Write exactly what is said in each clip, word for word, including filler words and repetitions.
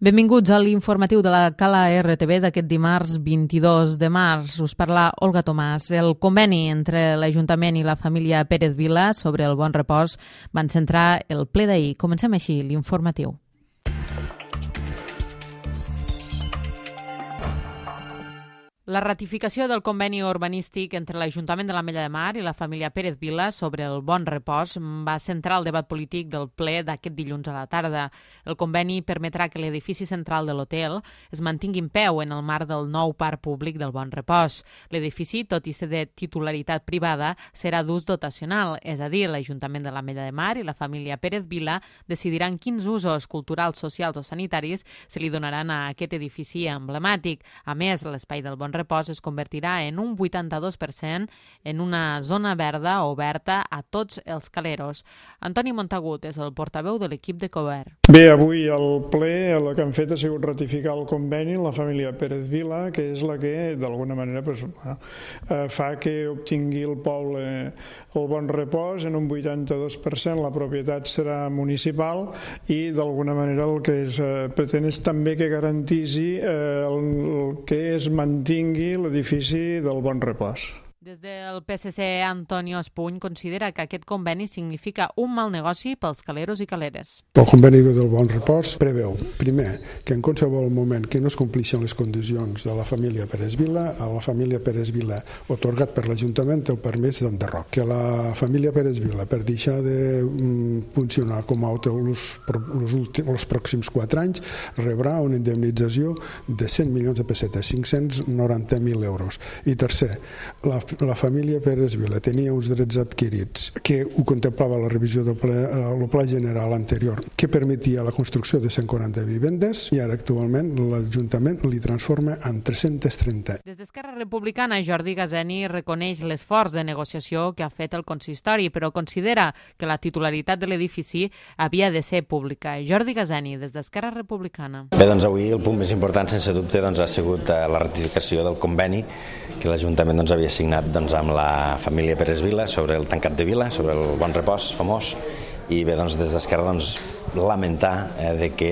Benvinguts a l'informatiu de la Cala R T V d'aquest dimarts vint-i-dos de març. Us parla Olga Tomàs. El conveni entre l'Ajuntament i la família Pérez Vila sobre el bon repòs van centrar el ple d'ahir. Comencem així l'informatiu. La ratificació del conveni urbanístic entre l'Ajuntament de l'Ametlla de Mar i la família Pérez Vila sobre el bon repòs va centrar el debat polític del ple d'aquest dilluns a la tarda. El conveni permetrà que l'edifici central de l'hotel es mantingui en peu en el marc del nou parc públic del bon repòs. L'edifici, tot i ser de titularitat privada, serà d'ús dotacional, és a dir, l'Ajuntament de l'Ametlla de Mar i la família Pérez Vila decidiran quins usos culturals, socials o sanitaris se li donaran a aquest edifici emblemàtic. A més, l'espai del bon repòs es convertirà en un vuitanta-dos per cent en una zona verda oberta a tots els caleros. Antoni Montagut és el portaveu de l'equip de govern. Bé, avui al ple el que han fet ha sigut ratificar el conveni la família Pérez Vila, que és la que d'alguna manera pues, eh, fa que obtingui el poble el bon repòs en un vuitanta-dos per cent. La propietat serà municipal i d'alguna manera el que es eh, pretén és també que garantisi eh, el, el que es mantingui l'edifici del bon repòs. Des del P S C, Antonio Espuny considera que aquest conveni significa un mal negoci pels caleros i caleres. El conveni del bon repòs preveu, primer, que en qualsevol moment que no es compleixen les condicions de la família Pérez Vila, a la família Pérez Vila, otorgat per l'Ajuntament, té el permís d'enderroc. Que la família Pérez Vila, per deixar de mm, funcionar com a hotel els últims, els pròxims quatre anys, rebrà una indemnització de cent milions de pessetes, cinc-cents noranta mil euros. I tercer, la La família Pérez Vila tenia uns drets adquirits que ho contemplava la revisió del ple, el pla general anterior, que permetia la construcció de cent quaranta vivendes i ara actualment l'Ajuntament li transforma en tres-cents trenta. Des d'Esquerra Republicana, Jordi Gazeni reconeix l'esforç de negociació que ha fet el consistori, però considera que la titularitat de l'edifici havia de ser pública. Jordi Gazeni, des d'Esquerra Republicana. Bé, doncs avui el punt més important, sense dubte, doncs, ha sigut la ratificació del conveni que l'Ajuntament doncs, havia signat doncs, amb la família Pérez Vila sobre el tancat de Vila, sobre el bon repòs famós, i bé, doncs, des d'Esquerra doncs, lamentar eh, de que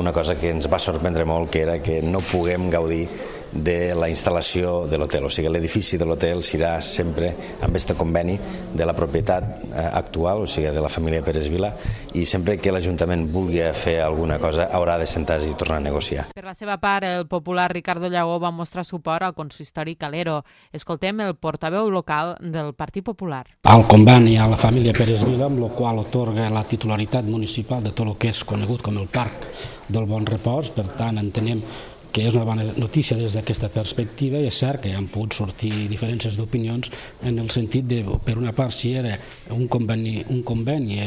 una cosa que ens va sorprendre molt, que era que no puguem gaudir de la instal·lació de l'hotel, o sigui, l'edifici de l'hotel serà sempre amb aquest conveni de la propietat eh, actual, o sigui, de la família Pérez Vila, i sempre que l'Ajuntament vulgui fer alguna cosa haurà de sentar-se i tornar a negociar. Per la seva part, el popular Ricardo Llagó va mostrar suport al consistori calero. Escoltem el portaveu local del Partit Popular. Al conveni a la família Pérez Vila, amb el qual otorga la titularitat municipal de tot el que és conegut com el Parc del Bon Repòs, per tant entenem que és una bona notícia des d'aquesta perspectiva, i és cert que han pogut sortir diferències d'opinions en el sentit de, per una part, si era un conveni, un conveni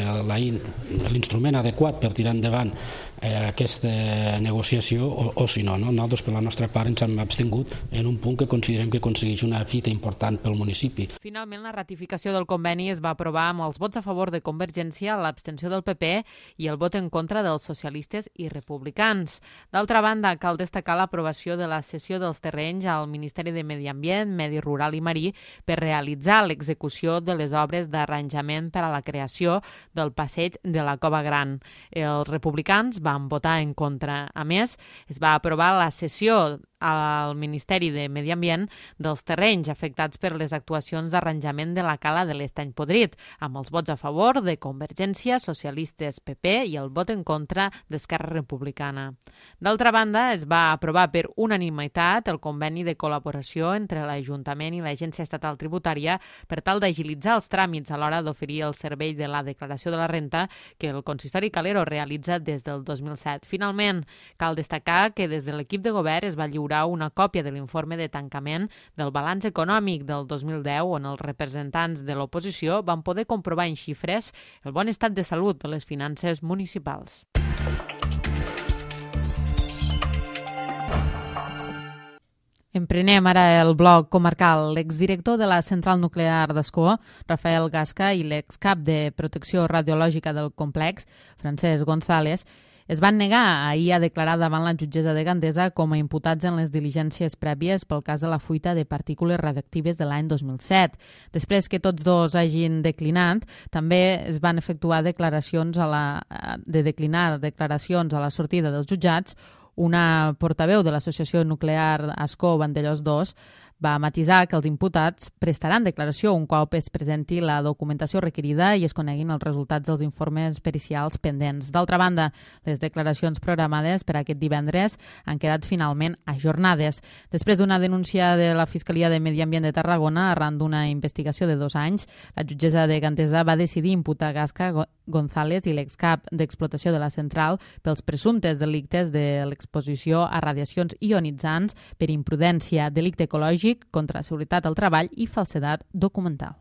l'instrument adequat per tirar endavant eh, aquesta negociació o, o si no, no. Nosaltres per la nostra part ens hem abstingut en un punt que considerem que aconsegueix una fita important pel municipi. Finalment, la ratificació del conveni es va aprovar amb els vots a favor de Convergència, l'abstenció del P P i el vot en contra dels socialistes i republicans. D'altra banda, cal destacar l'aprovació de la cessió dels terrenys al Ministeri de Medi Ambient, Medi Rural i Marí per realitzar l'execució de les obres d'arranjament per a la creació del passeig de la Cova Gran. Els republicans van votar en contra. A més, es va aprovar la cessió al Ministeri de Medi Ambient dels terrenys afectats per les actuacions d'arranjament de la cala de l'Estany Podrit, amb els vots a favor de Convergència, Socialistes, P P i el vot en contra d'Esquerra Republicana. D'altra banda, es va aprovar per unanimitat el conveni de col·laboració entre l'Ajuntament i l'Agència Estatal Tributària per tal d'agilitzar els tràmits a l'hora d'oferir el servei de la declaració de la renta que el consistori calero realitza des del dos mil set. Finalment, cal destacar que des de l'equip de govern es va lliurar una còpia de l'informe de tancament del balanç econòmic del dos mil deu, on els representants de l'oposició van poder comprovar en xifres el bon estat de salut de les finances municipals. Emprenem ara el bloc comarcal. L'exdirector de la central nuclear d'Ascó, Rafael Gasca, i l'excap de protecció radiològica del complex, Francesc González, es van negar ahir a declarar davant la jutgessa de Gandesa com a imputats en les diligències prèvies pel cas de la fuita de partícules radioactives de l'any dos mil set. Després que tots dos hagin declinat, també es van efectuar declaracions a la, de declinar declaracions a la sortida dels jutjats, Una portaveu de l'Associació Nuclear Ascó Vandellòs dos va matisar que els imputats prestaran declaració un cop es presenti la documentació requerida i es coneguin els resultats dels informes pericials pendents. D'altra banda, les declaracions programades per aquest divendres han quedat finalment ajornades. Després d'una denúncia de la Fiscalia de Medi Ambient de Tarragona arran d'una investigació de dos anys, la jutgessa de Gantesa va decidir imputar Gasca González i l'excap d'explotació de la central pels presumptes delictes de l'exposició a radiacions ionitzants per imprudència, delicte ecològic, contra la seguretat al treball i falsedat documental.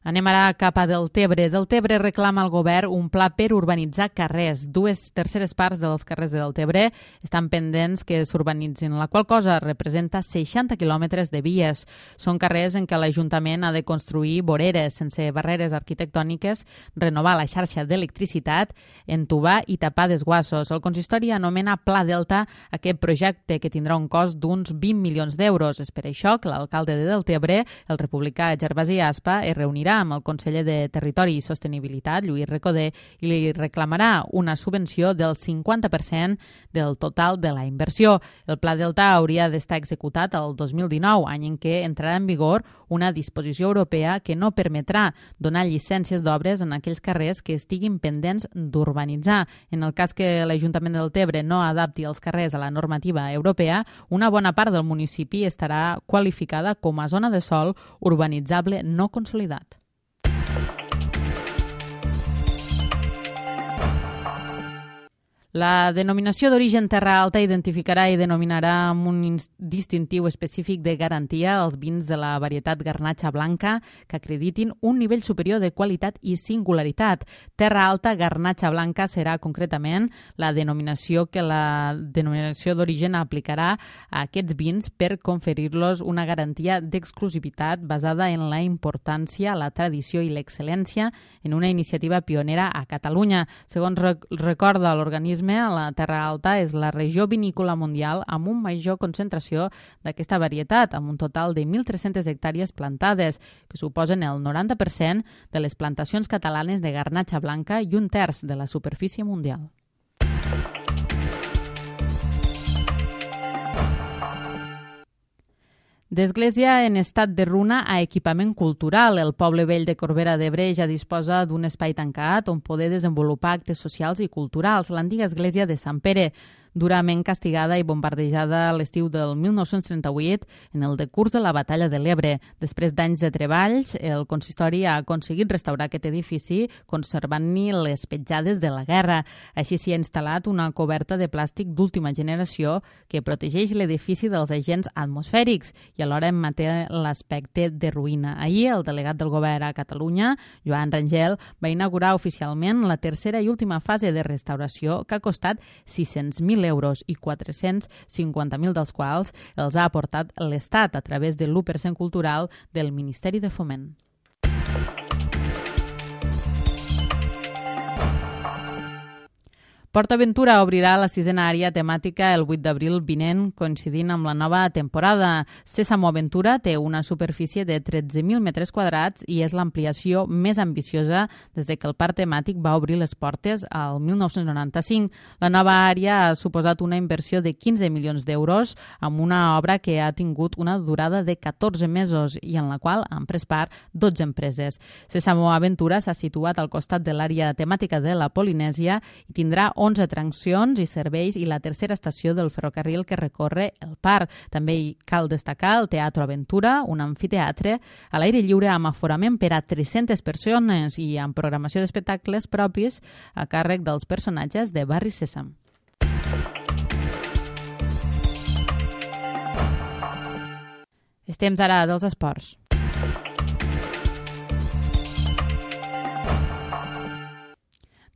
Anem ara cap a Deltebre. Deltebre reclama al govern un pla per urbanitzar carrers. Dues terceres parts dels carrers de Deltebre estan pendents que s'urbanitzin, la qual cosa representa seixanta quilòmetres de vies. Són carrers en què l'Ajuntament ha de construir voreres sense barreres arquitectòniques, renovar la xarxa d'electricitat, entubar i tapar desguassos. El consistori anomena Pla Delta aquest projecte que tindrà un cost d'uns vint milions d'euros. És per això que l'alcalde de Deltebre, el republicà Gervasi Aspa, es reunirà amb el conseller de Territori i Sostenibilitat, Lluís Recoder, i li reclamarà una subvenció del cinquanta per cent del total de la inversió. El Pla Delta hauria d'estar executat el dos mil dinou, any en què entrarà en vigor una disposició europea que no permetrà donar llicències d'obres en aquells carrers que estiguin pendents d'urbanitzar. En el cas que l'Ajuntament de Deltebre no adapti els carrers a la normativa europea, una bona part del municipi estarà qualificada com a zona de sòl urbanitzable no consolidat. La denominació d'origen Terra Alta identificarà i denominarà amb un distintiu específic de garantia els vins de la varietat Garnatxa Blanca que acreditin un nivell superior de qualitat i singularitat. Terra Alta Garnatxa Blanca serà concretament la denominació que la denominació d'origen aplicarà a aquests vins per conferir-los una garantia d'exclusivitat basada en la importància, la tradició i l'excel·lència en una iniciativa pionera a Catalunya. Segons recorda l'organisme, la Terra Alta és la regió vinícola mundial amb una major concentració d'aquesta varietat, amb un total de mil tres-centes hectàrees plantades, que suposen el noranta per cent de les plantacions catalanes de garnatxa blanca i un terç de la superfície mundial. D'església en estat de runa a equipament cultural. El poble vell de Corbera d'Ebre ja disposa d'un espai tancat on poder desenvolupar actes socials i culturals. L'antiga església de Sant Pere, durament castigada i bombardejada a l'estiu del mil nou-cents trenta-vuit en el decurs de la batalla de l'Ebre. Després d'anys de treballs, el consistori ha aconseguit restaurar aquest edifici conservant-hi les petjades de la guerra. Així s'hi ha instal·lat una coberta de plàstic d'última generació que protegeix l'edifici dels agents atmosfèrics i alhora en manté l'aspecte de ruïna. Ahir, el delegat del govern a Catalunya, Joan Rangel, va inaugurar oficialment la tercera i última fase de restauració que ha costat sis-cents mil euros i quatre-cents cinquanta mil dels quals els ha aportat l'Estat a través de l'u per cent cultural del Ministeri de Foment. PortAventura obrirà la sisena àrea temàtica el vuit d'abril vinent, coincidint amb la nova temporada. Sésamo Aventura té una superfície de tretze mil metres quadrats i és l'ampliació més ambiciosa des de que el parc temàtic va obrir les portes al mil nou-cents noranta-cinc. La nova àrea ha suposat una inversió de quinze milions d'euros amb una obra que ha tingut una durada de catorze mesos i en la qual han pres part dotze empreses. Sésamo Aventura s'ha situat al costat de l'àrea temàtica de la Polinèsia i tindrà onze atraccions i serveis i la tercera estació del ferrocarril que recorre el parc. També hi cal destacar el Teatro Aventura, un amfiteatre a l'aire lliure amb aforament per a tres-centes persones i amb programació d'espectacles propis a càrrec dels personatges de Barri Sèsam. És temps ara dels esports.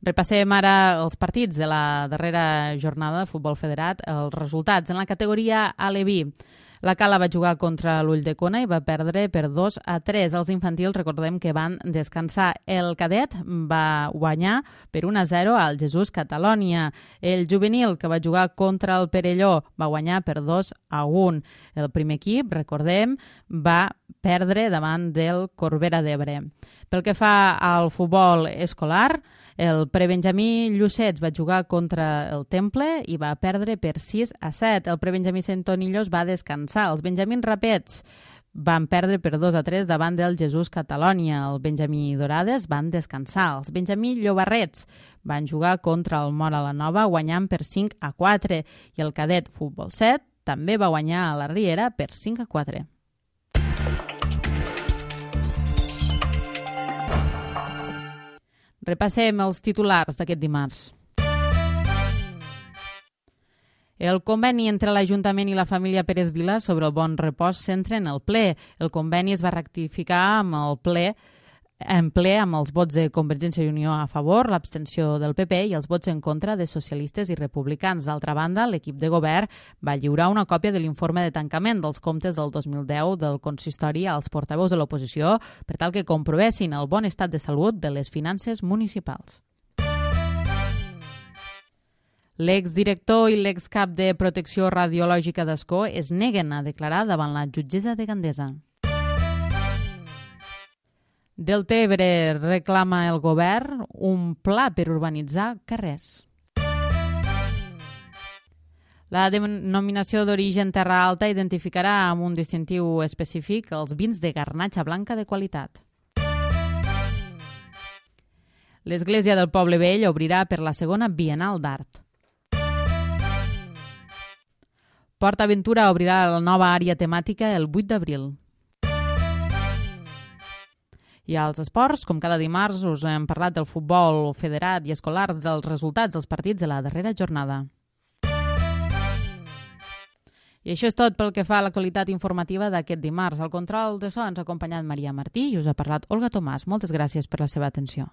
Repassem ara els partits de la darrera jornada de futbol federat. Els resultats en la categoria Aleví. La Cala va jugar contra l'Ulldecona i va perdre per dos a tres. Els infantils recordem que van descansar. El cadet va guanyar per un a zero al Jesús Catalònia. El juvenil, que va jugar contra el Perelló, va guanyar per dos a un. El primer equip, recordem, va perdre davant del Corbera d'Ebre. Pel que fa al futbol escolar, el prebenjamí Llucets va jugar contra el Temple i va perdre per sis a set. El prebenjamí Centonillos va descansar. Els benjamins Rapets van perdre per dos a tres davant del Jesús Catalònia. El benjamí Dorades van descansar. Els benjamí Llobarrets van jugar contra el Móra la Nova guanyant per cinc a quatre i el cadet Futbol set també va guanyar a la Riera per cinc a quatre. Repassem els titulars d'aquest dimarts. El conveni entre l'Ajuntament i la família Pérez Vila sobre el bon repòs s'entra en el ple. El conveni es va rectificar amb el ple, en ple amb els vots de Convergència i Unió a favor, l'abstenció del P P i els vots en contra de socialistes i republicans. D'altra banda, l'equip de govern va lliurar una còpia de l'informe de tancament dels comptes del dos mil deu del consistori als portaveus de l'oposició per tal que comprovessin el bon estat de salut de les finances municipals. L'exdirector i l'excap de Protecció Radiològica d'Ascó es neguen a declarar davant la jutgessa de Gandesa. Deltebre reclama el govern un pla per urbanitzar carrers. La denominació d'origen Terra Alta identificarà amb un distintiu específic els vins de garnatxa blanca de qualitat. L'Església del Poble Vell obrirà per la segona Bienal d'Art. Port Aventura obrirà la nova àrea temàtica el vuit d'abril. I als esports, com cada dimarts, us hem parlat del futbol federat i escolars, dels resultats dels partits de la darrera jornada. I això és tot pel que fa a l'actualitat informativa d'aquest dimarts. Al control de so ens ha acompanyat Maria Martí i us ha parlat Olga Tomàs. Moltes gràcies per la seva atenció.